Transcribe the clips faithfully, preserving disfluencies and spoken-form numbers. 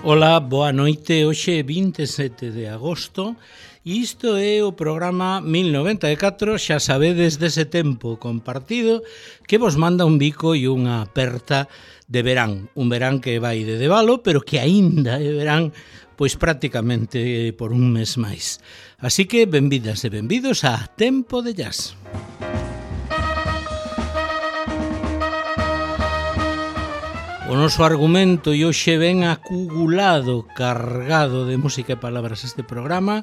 Ola, boa noite, hoxe vinte e sete de agosto e isto é o programa mil noventa e catro, xa sabedes dese tempo compartido que vos manda un bico e unha aperta de verán, un verán que vai de debalo, pero que aínda é verán pois prácticamente por un mes máis. Así que benvidas e benvidos a Tempo de Jazz. O noso argumento e hoxe ven acumulado, cargado de música e palabras este programa,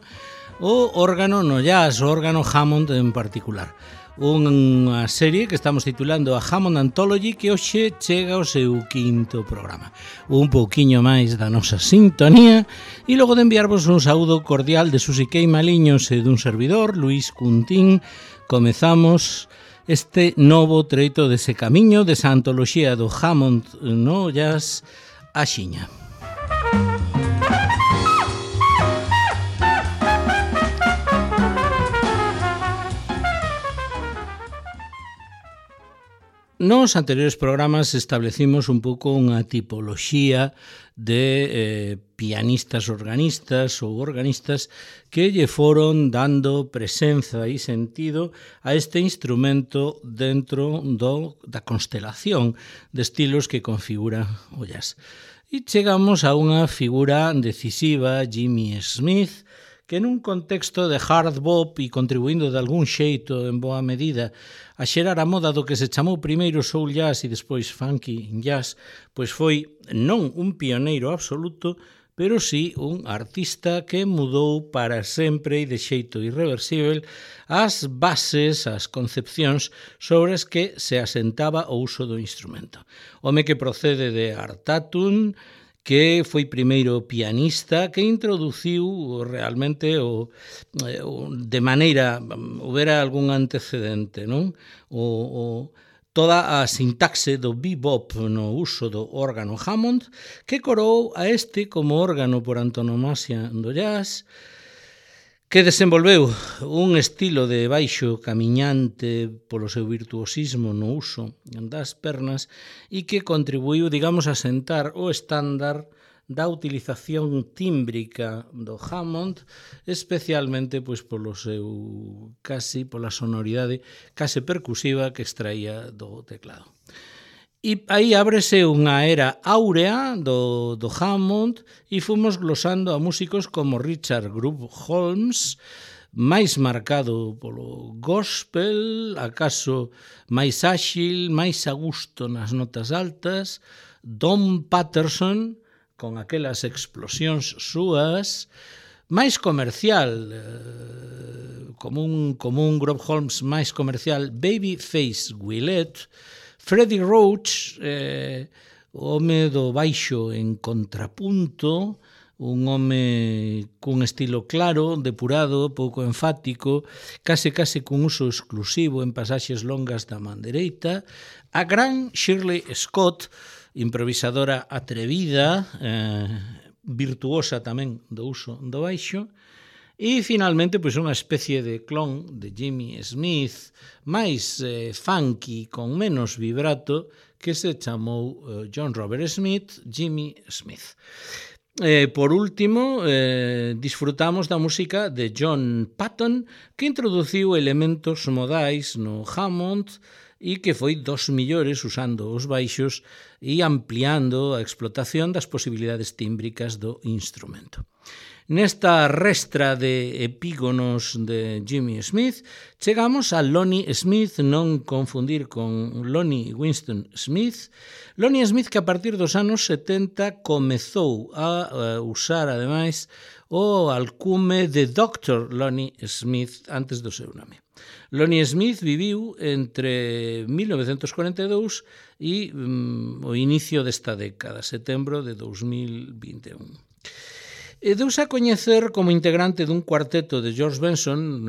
o órgano no jazz, o órgano Hammond en particular. Unha serie que estamos titulando a Hammond Anthology que hoxe chega ao seu quinto programa. Un pouquiño máis da nosa sintonía e logo de enviarvos un saúdo cordial de Susi Kei Maliños e dun servidor, Luís Cuntín, comezamos este novo treito dese camiño desa antoloxía do Hammond no jazz axiña. Nos anteriores programas establecimos un pouco unha tipoloxía de eh, pianistas organistas ou organistas que lle foron dando presenza e sentido a este instrumento dentro do, da constelación de estilos que configura o jazz. E chegamos a unha figura decisiva, Jimmy Smith, que nun contexto de hard bop e contribuindo de algún xeito en boa medida a xerar a moda do que se chamou primeiro soul jazz e despois funky jazz, pois foi non un pioneiro absoluto, pero sí un artista que mudou para sempre e de xeito irreversible as bases, as concepcións sobre as que se asentaba o uso do instrumento. Home que procede de Art Tatum, que foi primeiro pianista, que introduciu realmente o, o de maneira, houbera algún antecedente, non? O, o, toda a sintaxe do bebop no uso do órgano Hammond, que corou a este como órgano por antonomasia do jazz, que desenvolveu un estilo de baixo camiñante polo seu virtuosismo no uso das pernas e que contribuiu, digamos, a sentar o estándar da utilización tímbrica do Hammond, especialmente pois polo seu casi pola sonoridade case percusiva que extraía do teclado. E aí ábrese unha era áurea do, do Hammond e fomos glosando a músicos como Richard Groove Holmes, máis marcado polo gospel, acaso máis áxil, máis a gusto nas notas altas, Don Patterson, con aquelas explosións súas, máis comercial, eh, como un, como un Groove Holmes máis comercial, Babyface Willette, Freddie Roach, eh, o home do baixo en contrapunto, un home cun estilo claro, depurado, pouco enfático, case case cun uso exclusivo en pasaxes longas da man dereita, a gran Shirley Scott, improvisadora atrevida, eh, virtuosa tamén do uso do baixo, e finalmente pois unha especie de clon de Jimmy Smith, máis eh, funky, con menos vibrato, que se chamou eh, John Robert Smith, Jimmy Smith. Eh, por último, eh, disfrutamos da música de John Patton, que introduciu elementos modais no Hammond e que foi dos millores usando os baixos e ampliando a explotación das posibilidades tímbricas do instrumento. Nesta restra de epígonos de Jimmy Smith, chegamos a Lonnie Smith, non confundir con Lonnie Winston Smith. Lonnie Smith que a partir dos anos setenta comezou a usar, ademais, o alcume de doctor Lonnie Smith antes do seu nome. Lonnie Smith viviu entre mil novecentos cuarenta e dous e um, o inicio desta década, setembro de dos mil vinte e un. E deuse a coñecer como integrante dun cuarteto de George Benson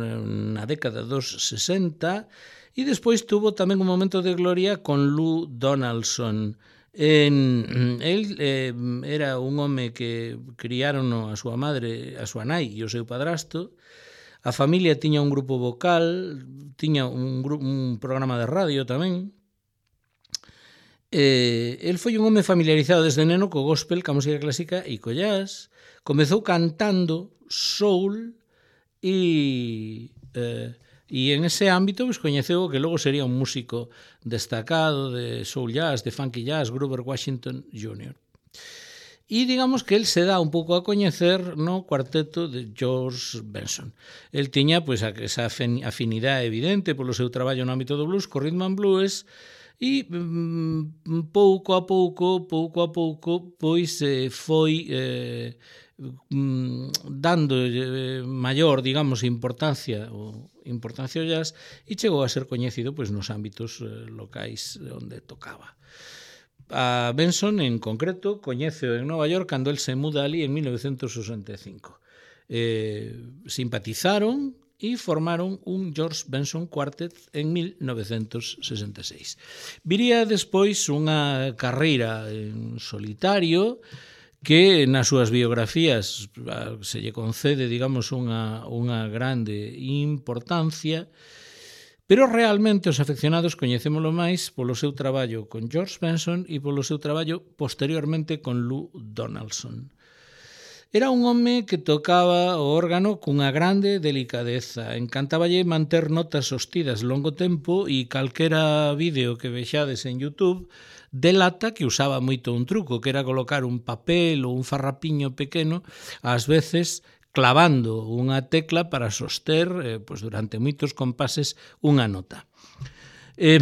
na década dos sesenta e despois tuvo tamén un momento de gloria con Lou Donaldson. En, el eh, era un home que criaron a súa madre, a súa nai e o seu padrasto. A familia tiña un grupo vocal, tiña un, grupo, un programa de radio tamén. Eh, el foi un home familiarizado desde neno co gospel, ca música clásica e co jazz. Comezou cantando soul e, eh, e en ese ámbito pues, coñeceu o que logo sería un músico destacado de soul jazz, de funky jazz, Grover Washington júnior E digamos que el se dá un pouco a coñecer no cuarteto de George Benson. El tiña pues, esa afinidade evidente polo seu traballo no ámbito do blues, co rhythm and blues, e mm, pouco a pouco, pouco a pouco, pois eh, foi eh, mm, dando eh, maior, digamos, importancia o importancia ao jazz e chegou a ser coñecido pois, nos ámbitos eh, locais onde tocaba. A Benson, en concreto, coñeceo en Nova York cando el se muda ali en mil novecentos sesenta e cinco. Eh, simpatizaron e formaron un George Benson Quartet en mil novecentos sesenta e seis. Viría despois unha carreira en solitario que nas súas biografías se lle concede, digamos, unha, unha grande importancia, pero realmente os afeccionados coñecémolo máis polo seu traballo con George Benson e polo seu traballo posteriormente con Lou Donaldson. Era un home que tocaba o órgano cunha grande delicadeza. Encantáballe manter notas sostidas longo tempo e calquera vídeo que vexades en YouTube delata que usaba moito un truco, que era colocar un papel ou un farrapiño pequeno, ás veces clavando unha tecla para soster eh, pues, durante moitos compases unha nota. Eh,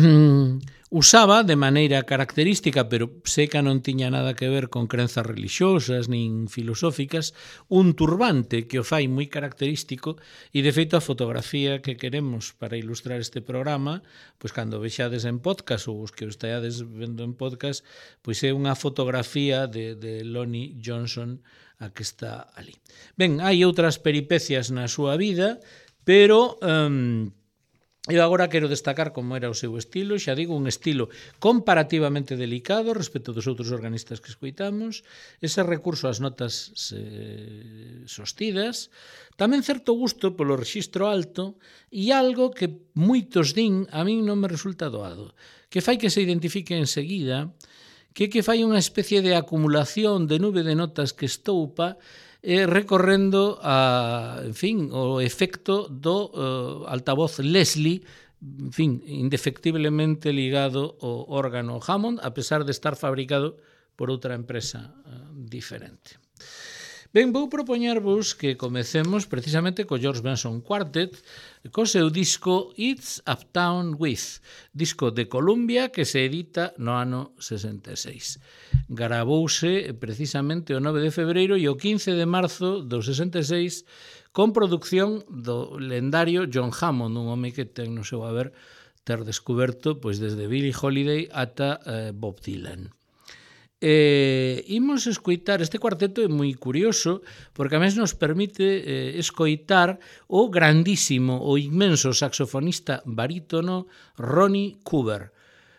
usaba de maneira característica, pero seca non tiña nada que ver con crenzas religiosas nin filosóficas, un turbante que o fai moi característico e, de feito, a fotografía que queremos para ilustrar este programa, pois cando vexades en podcast ou os que o esteades vendo en podcast, pois é unha fotografía de, de Lonnie Johnson a que está ali. Ben, hai outras peripecias na súa vida, pero um, eu agora quero destacar como era o seu estilo, xa digo, un estilo comparativamente delicado respecto dos outros organistas que escoitamos, ese recurso ás notas eh, sostidas, tamén certo gusto polo rexistro alto e algo que moitos din a min non me resulta doado, que fai que se identifique enseguida, que que fai unha especie de acumulación de nube de notas que estoupa eh, recorrendo a, en fin, o efecto do uh, altavoz Leslie, en fin, indefectiblemente ligado ao órgano Hammond, a pesar de estar fabricado por outra empresa uh, diferente. Ben, vou propoñervos que comecemos precisamente co George Benson Quartet, co seu disco It's Uptown With, disco de Columbia que se edita no ano sesenta e seis. Gravouse precisamente o nove de febreiro e o quince de marzo do sesenta e seis con produción do lendario John Hammond, un home que ten no seu haber ter descoberto pois desde Billie Holiday ata eh, Bob Dylan. Eh, imos escoitar, este cuarteto é moi curioso porque a mes nos permite eh, escoitar o grandísimo, o inmenso saxofonista barítono Ronnie Cooper.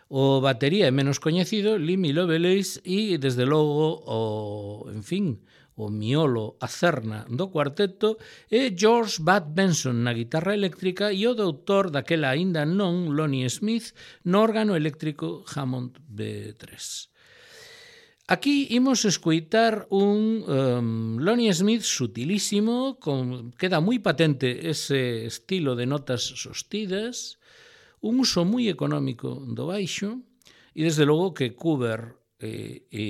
O batería é menos coñecido, Lemmy Lovelace, e desde logo o, en fin, o miolo, a cerna do cuarteto é George Bud Benson na guitarra eléctrica e o doutor daquela aínda non, Lonnie Smith, no órgano eléctrico Hammond B tres. Aquí imos escoitar un um, Lonnie Smith sutilísimo, con, queda moi patente ese estilo de notas sostidas, un uso moi económico do baixo, e desde logo que Cooper e, e,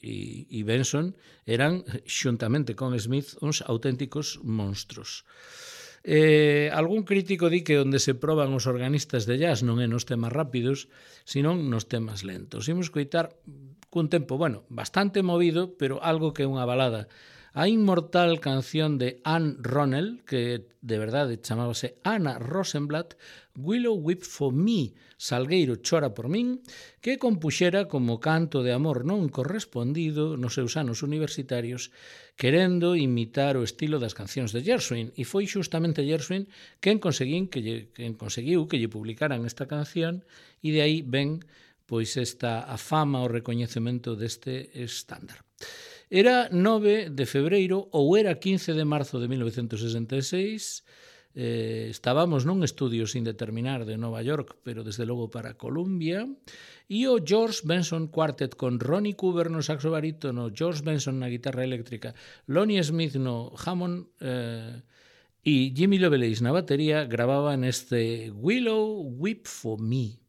e Benson eran, xuntamente con Smith, uns auténticos monstros. Eh, algún crítico di que onde se proban os organistas de jazz non é nos temas rápidos, senón nos temas lentos. Imos escoitar cun tempo, bueno, bastante movido, pero algo que é unha balada. A inmortal canción de Anne Ronell, que de verdade chamábase Anna Rosenblatt, Willow Weep for Me, Salgueiro chora por min, que compuxera como canto de amor non correspondido nos seus anos universitarios, querendo imitar o estilo das cancións de Gershwin, e foi xustamente Gershwin quen, conseguín que lle, quen conseguiu que lle publicaran esta canción, e de aí ven pois esta a fama, o recoñecemento deste estándar. Era nove de febreiro ou era quince de marzo de mil novecentos sesenta e seis, eh, estábamos nun estudio sin determinar de Nova York, pero desde logo para Columbia, e o George Benson Quartet con Ronnie Cooper no saxo barítono, George Benson na guitarra eléctrica, Lonnie Smith no Hammond eh, e Jimmy Lovelace na batería gravaban este Willow Weep for Me.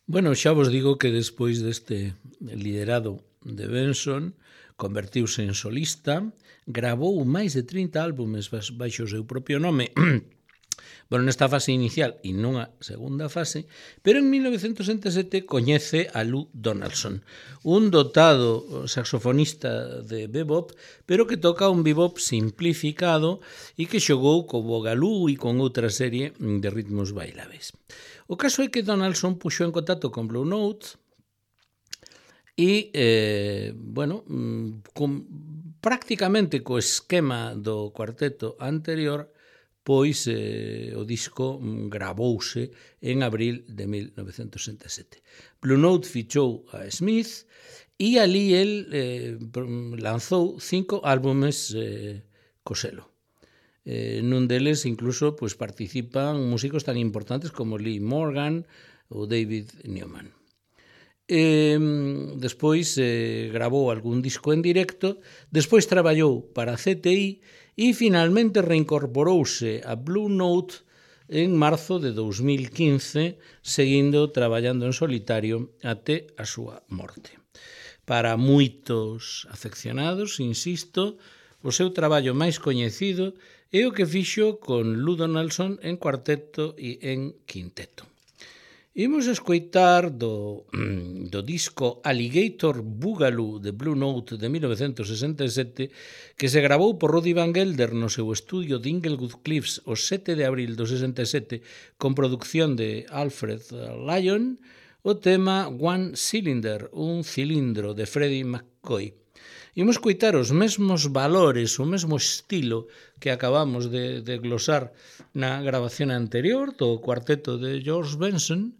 Bueno, xa vos digo que despois deste liderado de Benson, convertiuse en solista, gravou máis de trinta álbumes baixo o seu propio nome, bueno, nesta fase inicial e nunha segunda fase, pero en mil novecentos sesenta e sete coñece a Lou Donaldson, un dotado saxofonista de bebop, pero que toca un bebop simplificado e que xogou co boogaloo e con outra serie de ritmos bailables. O caso é que Donaldson puxo en contacto con Blue Note e, eh, bueno, con, prácticamente co esquema do cuarteto anterior, pois eh, o disco gravouse en abril de mil novecentos sesenta e sete. Blue Note fichou a Smith e ali el eh, lanzou cinco álbumes eh, co selo. Eh, nun deles incluso pues, participan músicos tan importantes como Lee Morgan ou David Newman. Eh, despois eh, gravou algún disco en directo, despois traballou para C T I e finalmente reincorporouse a Blue Note en marzo de dous mil quince, seguindo traballando en solitario até a súa morte. Para moitos afeccionados, insisto, o seu traballo máis coñecido é o que fixo con Lou Donaldson en cuarteto e en quinteto. Imos escoitar do, do disco Alligator Boogaloo de Blue Note de mil novecentos sesenta e sete, que se gravou por Roddy Van Gelder no seu estudio de Inglewood Cliffs o sete de abril do sesenta e sete, con producción de Alfred Lyon, o tema One Cylinder, un cilindro, de Freddie McCoy. Imos coitar os mesmos valores, o mesmo estilo que acabamos de, de glosar na grabación anterior do cuarteto de George Benson,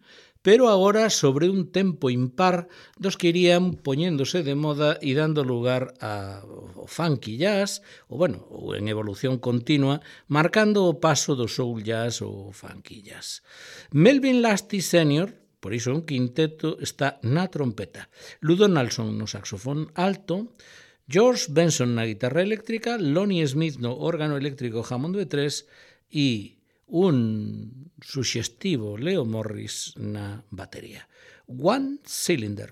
pero agora sobre un tempo impar dos que irían poñéndose de moda e dando lugar ao funky jazz, ou, bueno, ou en evolución continua, marcando o paso do soul jazz ou funky jazz. Melvin Lasty senior, por iso un quinteto, está na trompeta. Lou Donaldson no saxofón alto, George Benson na guitarra eléctrica, Lonnie Smith no órgano eléctrico Hammond B tres e un suxestivo Leo Morris na batería. One Cylinder.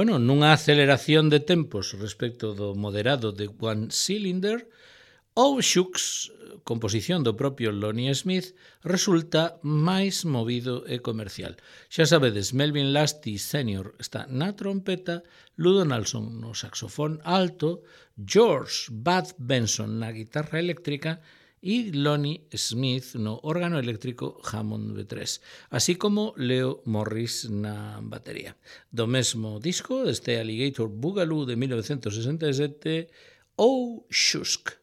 bueno, nunha aceleración de tempos respecto do moderado de One Cylinder, o Shooks, composición do propio Lonnie Smith, resulta máis movido e comercial. Xa sabedes, Melvin Lasty senior está na trompeta, Ludo Nalson no saxofón alto, George Bud Benson na guitarra eléctrica e Lonnie Smith no órgano eléctrico Hammond B tres, así como Leo Morris na batería. Do mesmo disco, deste Alligator Boogaloo de mil novecentos sesenta e sete, O Shusk.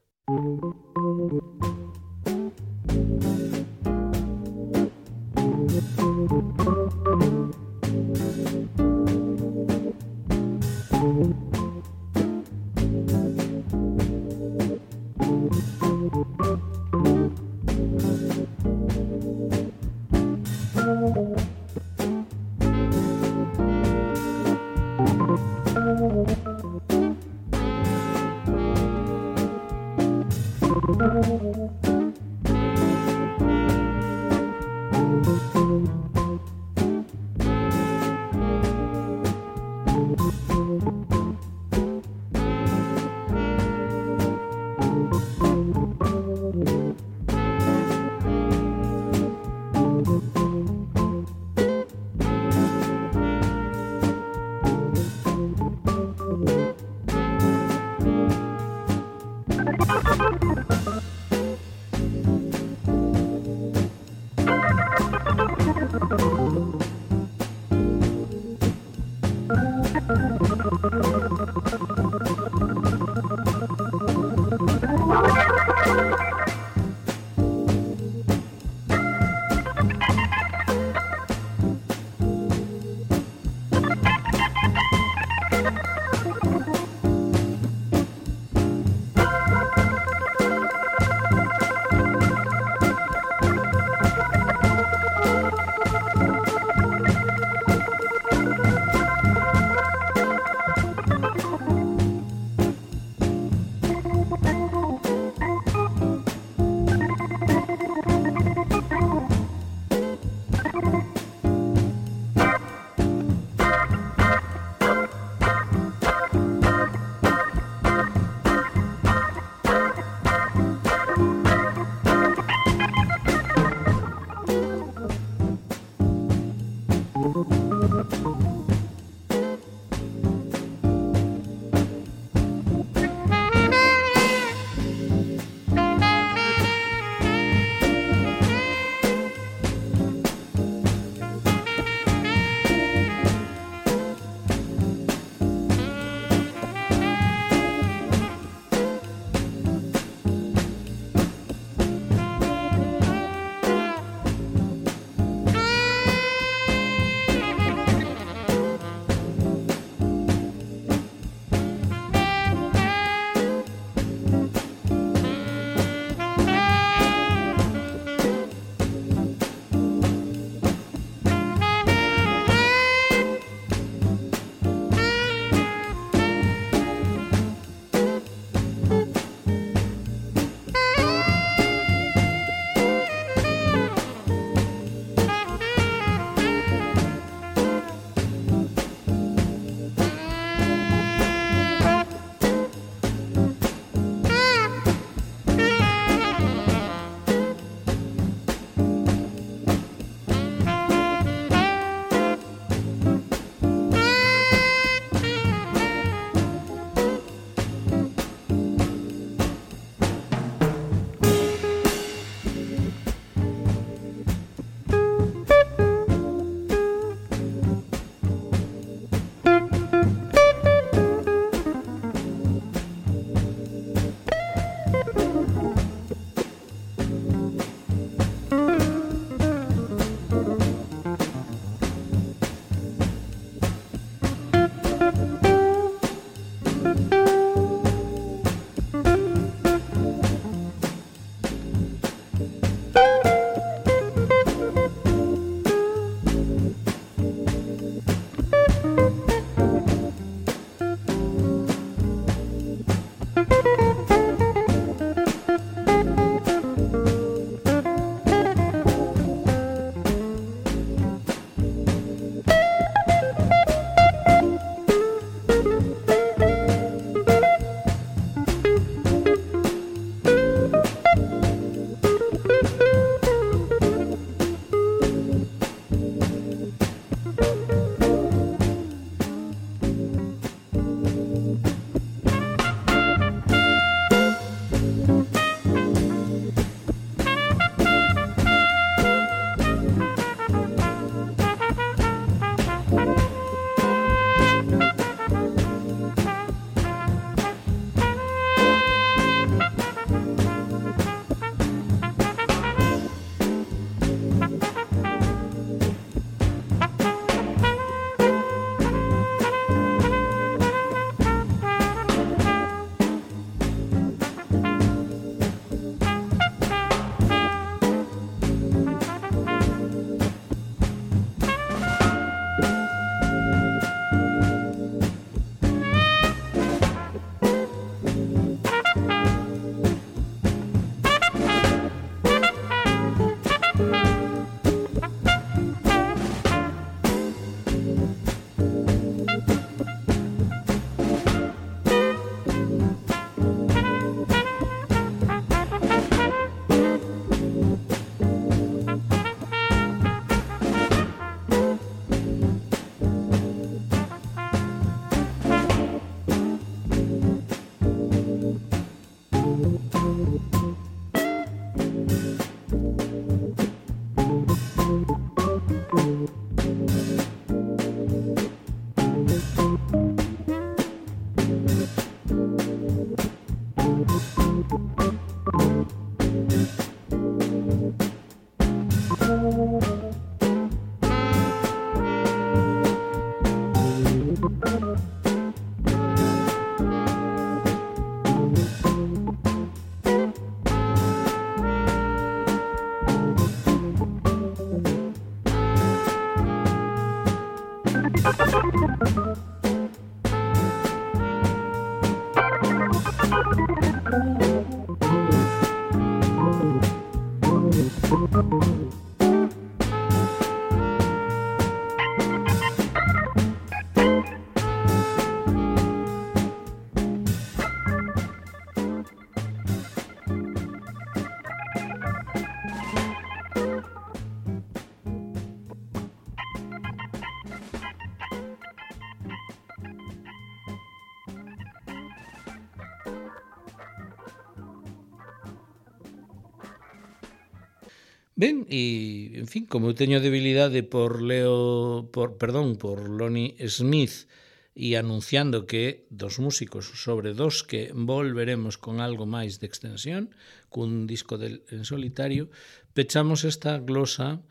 Ben, e, en fin, como eu teño debilidade por Leo, por, perdón, por Lonnie Smith e anunciando que dos músicos sobre dos que volveremos con algo máis de extensión, cun disco del en solitario, pechamos esta glosa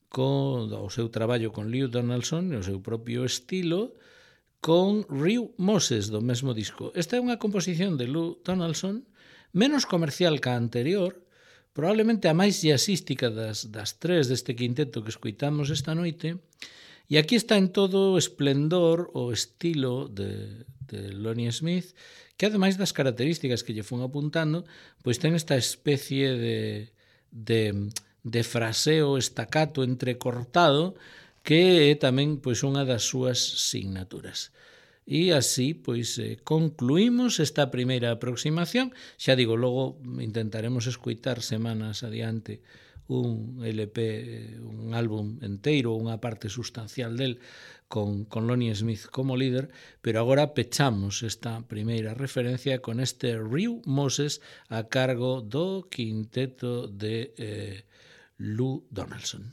co o seu traballo con Lou Donaldson e o seu propio estilo con Rio Moses do mesmo disco. Esta é unha composición de Lou Donaldson menos comercial que a anterior, probablemente a máis jazzística das, das tres deste quinteto que escoitamos esta noite, e aquí está en todo o esplendor o estilo de, de Lonnie Smith, que ademais das características que lle fun apuntando, pois ten esta especie de, de, de fraseo estacato entrecortado que é tamén pois unha das súas signaturas. E así, pois, eh, concluímos esta primeira aproximación. Xa digo, logo intentaremos escoitar semanas adiante un L P, un álbum enteiro, unha parte sustancial del, con, con Lonnie Smith como líder, pero agora pechamos esta primeira referencia con este Rio Moses a cargo do quinteto de eh, Lou Donaldson.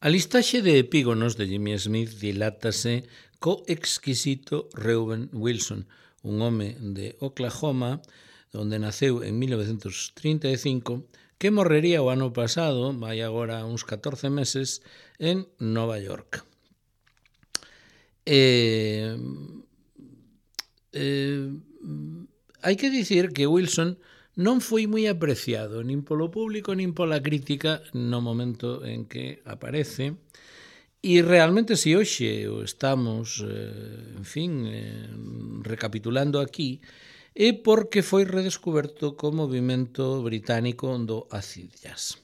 A listaxe de epígonos de Jimmy Smith dilátase co exquisito Reuben Wilson, un home de Oklahoma, onde naceu en mil novecentos trinta e cinco, que morrería o ano pasado, vai agora uns catorce meses, en Nova York. Eh, eh, hai que dicir que Wilson non foi moi apreciado nin polo público nin pola crítica no momento en que aparece, e realmente se hoxe o estamos, eh, en fin, eh, recapitulando aquí, é porque foi redescoberto co movimento británico do acid jazz.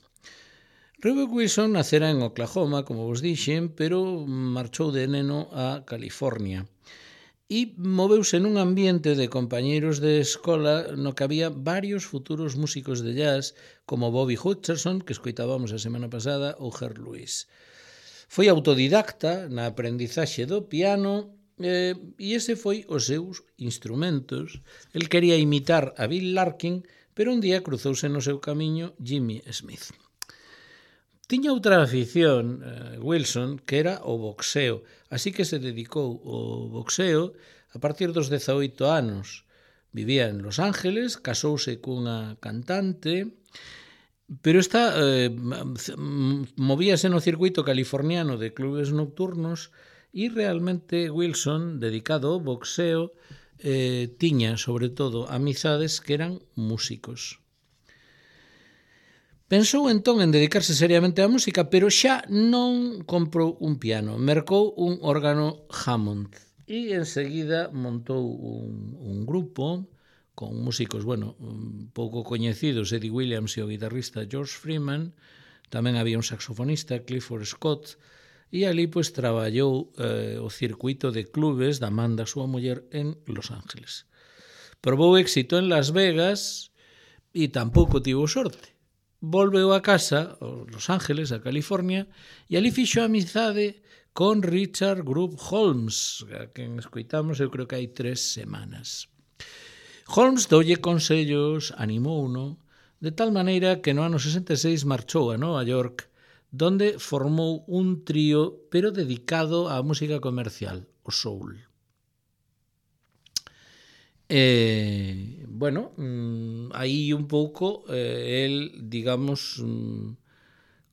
Reuben Wilson nacera en Oklahoma, como vos dixen, pero marchou de neno a California. E moveuse nun ambiente de compañeiros de escola no que había varios futuros músicos de jazz como Bobby Hutcherson, que escoitábamos a semana pasada, ou Herb Lewis. Foi autodidacta na aprendizaxe do piano eh, e ese foi os seus instrumentos. El quería imitar a Bill Larkin, pero un día cruzouse no seu camiño Jimmy Smith. Tiña outra afición, eh, Wilson, que era o boxeo, así que se dedicou ao boxeo a partir dos dezaoito anos. Vivía en Los Ángeles, casouse cunha cantante, pero esta eh, movíase no circuito californiano de clubes nocturnos e realmente Wilson, dedicado ao boxeo, eh, tiña, sobre todo, amizades que eran músicos. Pensou entón en dedicarse seriamente á música, pero xa non comprou un piano, mercou un órgano Hammond e enseguida montou un, un grupo con músicos, bueno, un pouco coñecidos, Eddie Williams e o guitarrista George Freeman, tamén había un saxofonista, Clifford Scott, e ali pois traballou eh, o circuito de clubes da man da súa muller en Los Ángeles. Probou éxito en Las Vegas e tampouco tivo sorte. Volveu a casa, a Los Ángeles, a California, e ali fixo amizade con Richard Group Holmes, a quen escoitamos eu creo que hai tres semanas. Holmes doulle consellos, animouno, de tal maneira que no ano sesenta e seis marchou a Nova York, donde formou un trío, pero dedicado á música comercial, o soul. Eh, bueno, mmm, aí un pouco eh, el, digamos, mmm,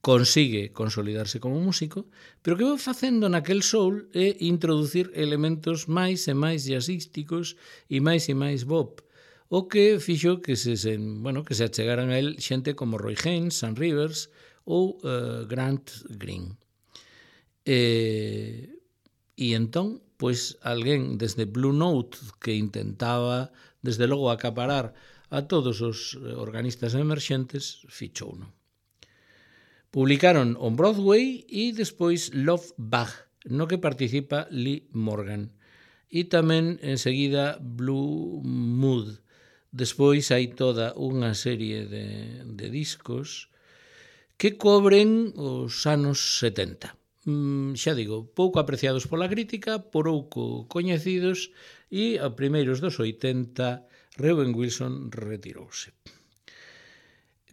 consigue consolidarse como músico, pero que vai facendo naquel soul é introducir elementos máis e máis jazzísticos e máis e máis bop, o que fixo que se, se, bueno, que se achegaran a el xente como Roy Haynes, Sam Rivers ou uh, Grant Green. Eh, e entón, pois alguén desde Blue Note que intentaba, desde logo, acaparar a todos os organistas emerxentes, fichouno. Publicaron on Broadway e despois Love Bug, no que participa Lee Morgan. E tamén, enseguida, Blue Mood. Despois hai toda unha serie de, de discos que cobren os anos setenta. Mm, xa digo, pouco apreciados pola crítica, pouco coñecidos, e a primeiros dos oitenta Reuben Wilson retirouse.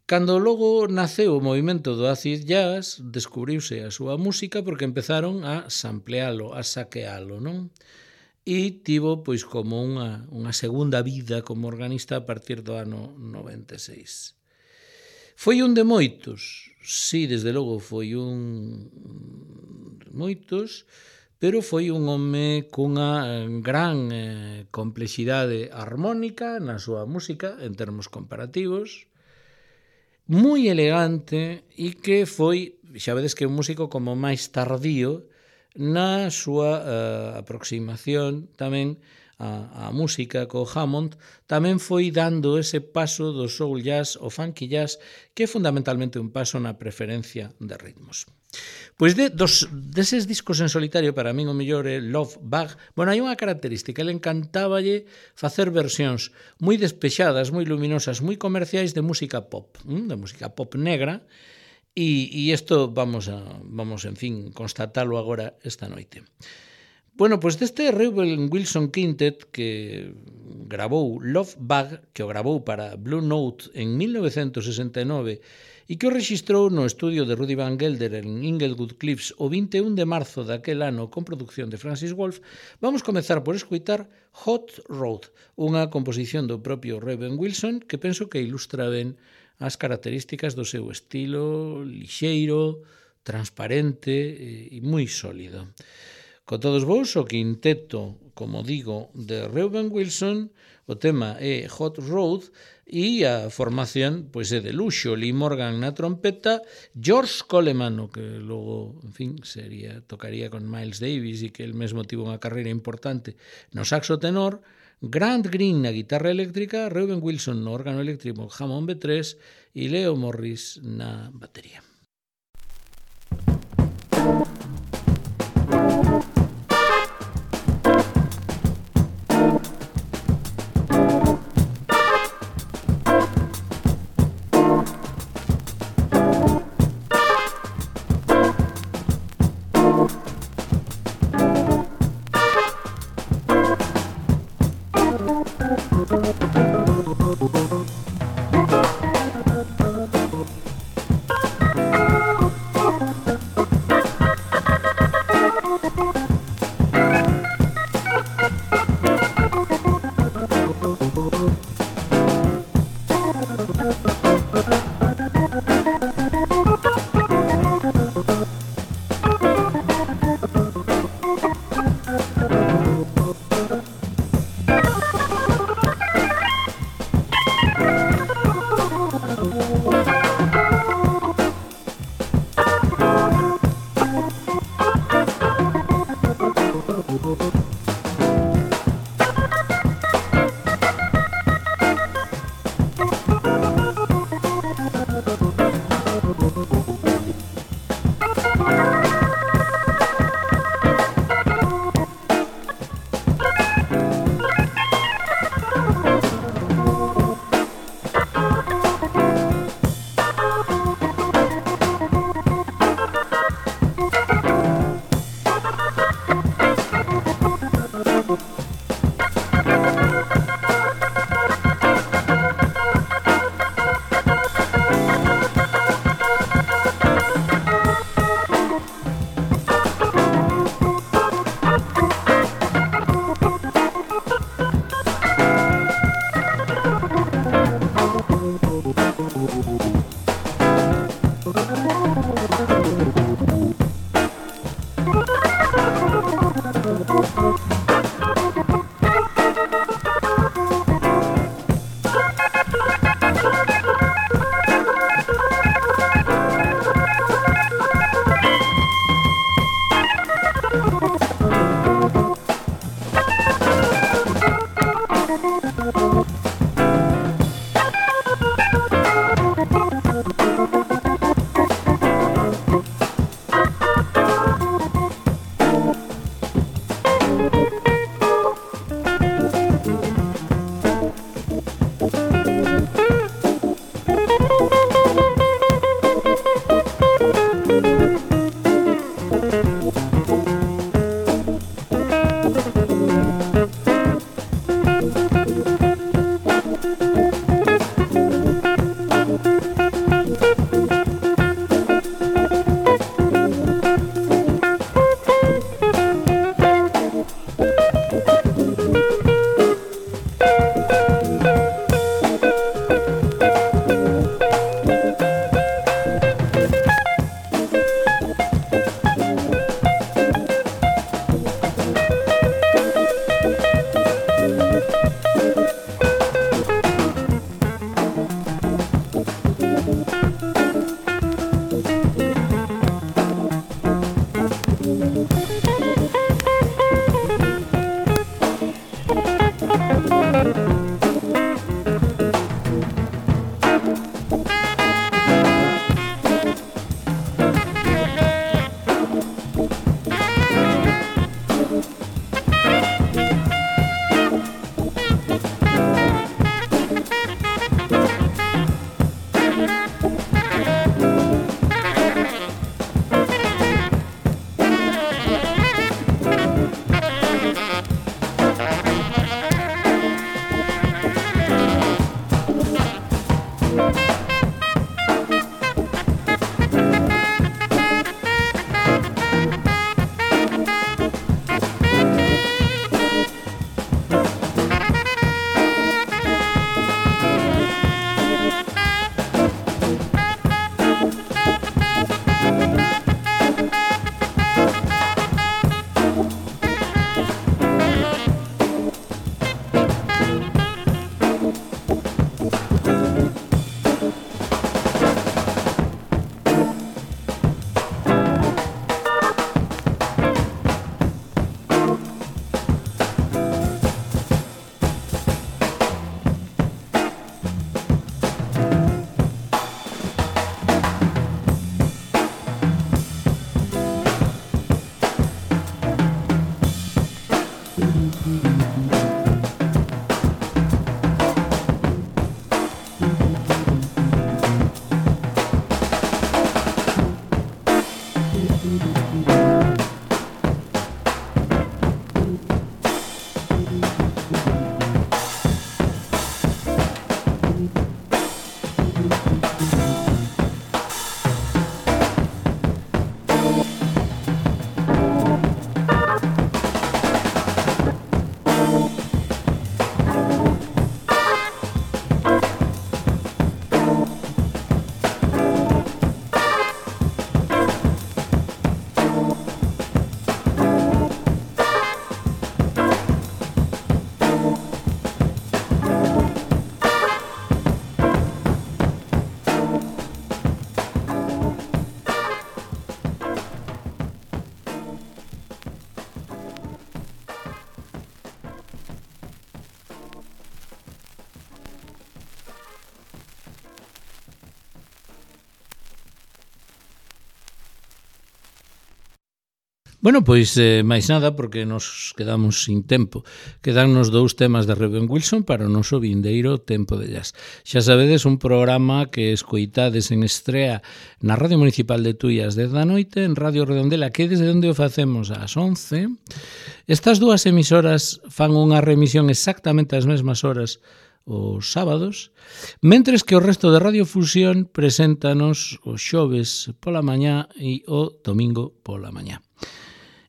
Cando logo naceu o movimento do acid jazz, descubriuse a súa música porque empezaron a samplealo, a saquealo, non? E tivo pois como unha, unha segunda vida como organista a partir do ano noventa e seis. Foi un de moitos, sí, desde logo foi un de moitos, pero foi un home cunha gran eh, complexidade armónica na súa música, en termos comparativos, moi elegante e que foi, xa vedes que é un músico como máis tardío na súa uh, aproximación tamén a, a música co Hammond, tamén foi dando ese paso do soul jazz ao funky jazz, que é fundamentalmente un paso na preferencia de ritmos. Pois de, dos, deses discos en solitario, para min o mellor é Love Bug. Bueno, hai unha característica, ele encantáballe facer versións moi despexadas, moi luminosas, moi comerciais de música pop, de música pop negra, e, e isto vamos, a, vamos, en fin, constatalo agora esta noite. Bueno, pois deste Reuben Wilson Quintet que grabou Love Bug, que o grabou para Blue Note en mil novecentos sesenta e nove e que o rexistrou no estudio de Rudy Van Gelder en Inglewood Cliffs o vinte e un de marzo daquel ano con produción de Francis Wolff, vamos comezar por escoitar Hot Rod, unha composición do propio Reuben Wilson que penso que ilustra ben as características do seu estilo lixeiro, transparente e moi sólido. Con todos vos, o quinteto, como digo, de Reuben Wilson, o tema é Hot Rod e a formación pois é de luxo, Lee Morgan na trompeta, George Coleman, o que logo, en fin, sería tocaría con Miles Davis e que el mesmo tivo unha carreira importante no saxo tenor, Grant Green na guitarra eléctrica, Reuben Wilson no órgano eléctrico Hammond B tres e Leo Morris na batería. Bueno, pois eh, máis nada, porque nos quedamos sin tempo. Quedannos dous temas de Reuben Wilson para o noso vindeiro Tempo de Jazz. Xa sabedes, un programa que escoitades en estrea na Radio Municipal de Tui ás dez da noite, en Radio Redondela, que desde onde o facemos ás once. Estas dúas emisoras fan unha remisión exactamente ás mesmas horas os sábados, mentres que o resto de Radiofusión preséntanos os xoves pola mañá e o domingo pola mañá.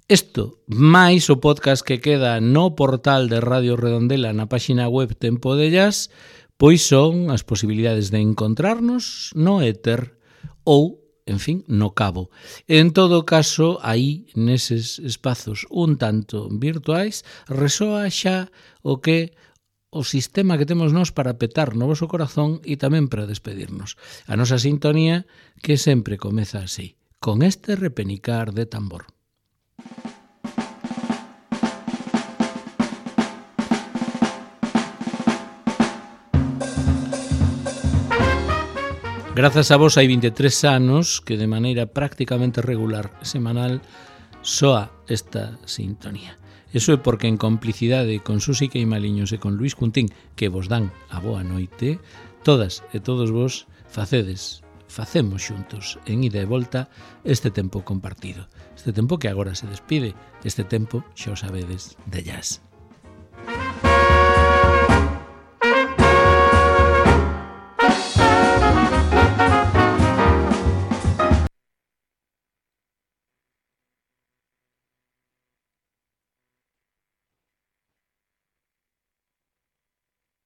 Isto, máis o podcast que queda no portal de Radio Redondela na páxina web Tempo de Jazz, pois son as posibilidades de encontrarnos no éter ou, en fin, no cabo. En todo caso, aí, neses espazos un tanto virtuais, resoa xa o que o sistema que temos nós para petar no voso corazón e tamén para despedirnos. A nosa sintonía que sempre comeza así, con este repenicar de tambor. Grazas a vos hai vinte e tres anos que de maneira prácticamente regular semanal soa esta sintonía. Eso é porque en complicidade con Susi Queimaliños e con Luís Cuntín, que vos dan a boa noite, todas e todos vos facedes, facemos xuntos en ida e volta este tempo compartido. Este tempo que agora se despide, este tempo, xa o sabedes, de jazz.